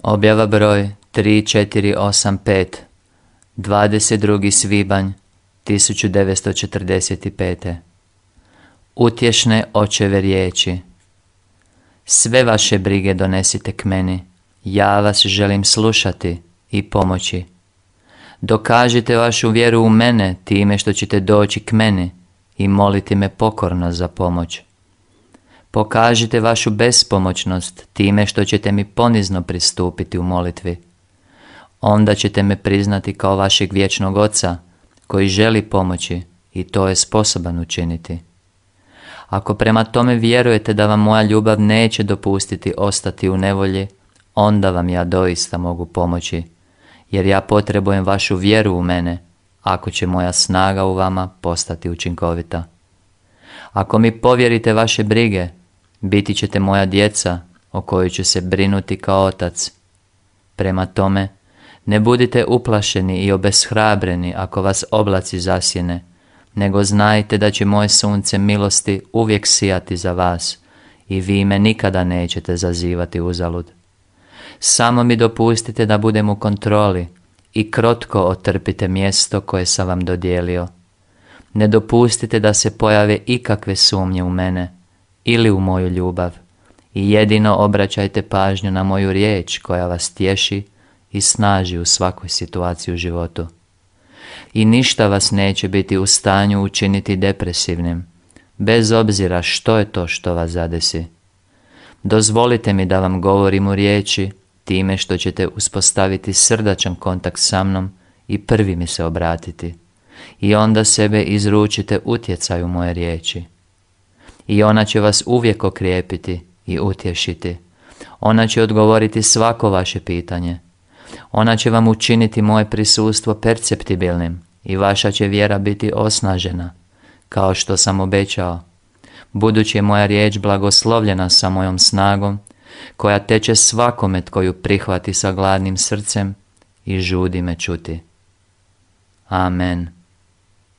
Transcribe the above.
Objava broj 3485, 22. svibanj 1945. Utješne očeve riječi. Sve vaše brige donesite k meni, ja vas želim slušati i pomoći. Dokažite vašu vjeru u mene time što ćete doći k meni i moliti me pokorno za pomoć. Pokažite vašu bespomoćnost time što ćete mi ponizno pristupiti u molitvi. Onda ćete me priznati kao vašeg vječnog Oca koji želi pomoći i to je sposoban učiniti. Ako prema tome vjerujete da vam moja ljubav neće dopustiti ostati u nevolji, onda vam ja doista mogu pomoći, jer ja potrebujem vašu vjeru u mene, ako će moja snaga u vama postati učinkovita. Ako mi povjerite vaše brige, biti ćete moja djeca o kojoj ću se brinuti kao otac. Prema tome, ne budite uplašeni i obeshrabreni ako vas oblaci zasjene, nego znajte da će moje sunce milosti uvijek sijati za vas i vi me nikada nećete zazivati uzalud. Samo mi dopustite da budem u kontroli i krotko otrpite mjesto koje sam vam dodijelio. Ne dopustite da se pojave ikakve sumnje u mene ili u moju ljubav i jedino obraćajte pažnju na moju riječ koja vas tješi i snaži u svakoj situaciji u životu. I ništa vas neće biti u stanju učiniti depresivnim, bez obzira što je to što vas zadesi. Dozvolite mi da vam govorim u riječi time što ćete uspostaviti srdačan kontakt sa mnom i prvi mi se obratiti. I onda sebe izručite utjecaju moje riječi. I ona će vas uvijek okrijepiti i utješiti. Ona će odgovoriti svako vaše pitanje. Ona će vam učiniti moje prisustvo perceptibilnim i vaša će vjera biti osnažena, kao što sam obećao. Budući je moja riječ blagoslovljena sa mojom snagom, koja teče svakome tko ju prihvati sa gladnim srcem i žudi me čuti. Amen.